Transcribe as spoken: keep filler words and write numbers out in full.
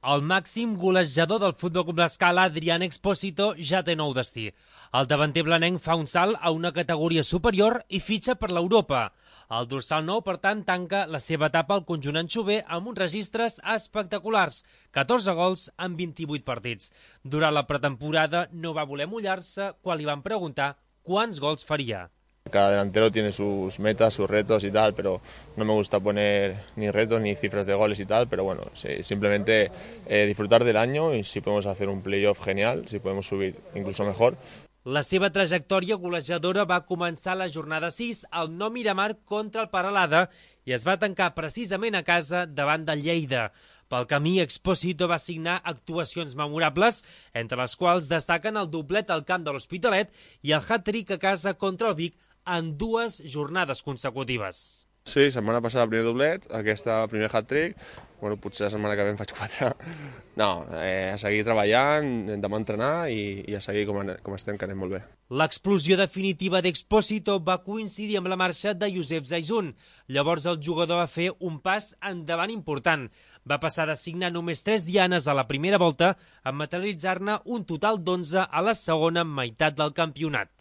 El màxim golejador del Futbol Club L'Escala, Adrián Expósito, ja té nou destí. El davanter blanenc fa un salt a una categoria superior i fitxa per l'Europa. El dorsal nou, per tant, tanca la seva etapa al conjunt anxover amb uns registres espectaculars, catorze gols en vint-i-vuit partits. Durant la pretemporada no va voler mullar-se quan li van preguntar quants gols faria. Cada delantero tiene sus metas, sus retos y tal, pero no me gusta poner ni retos ni cifras de goles y tal, pero bueno, sí, simplemente eh, disfrutar del año y si podemos hacer un playoff genial, si podemos subir incluso mejor. La seva trajectòria golejadora va començar a la jornada sis al Nou Miramar contra el Peralada i es va tancar precisament a casa davant del Lleida. Pel camí, Expósito va signar actuacions memorables, entre les quals destaquen el doblet al camp de l'Hospitalet i el hat-trick a casa contra el Vic en dues jornades consecutives. Sí, setmana passada el primer doblet, aquesta primer hat-trick, bueno, potser la setmana que ve en faig quatre. No, eh, a seguir treballant, demà entrenar i, i a seguir com, com estem, que anem molt bé. L'explosió definitiva d'Expósito va coincidir amb la marxa de Josep Zaizun. Llavors el jugador va fer un pas endavant important. Va passar de signar només tres dianes a la primera volta a materialitzar-ne un total d'onze a la segona meitat del campionat.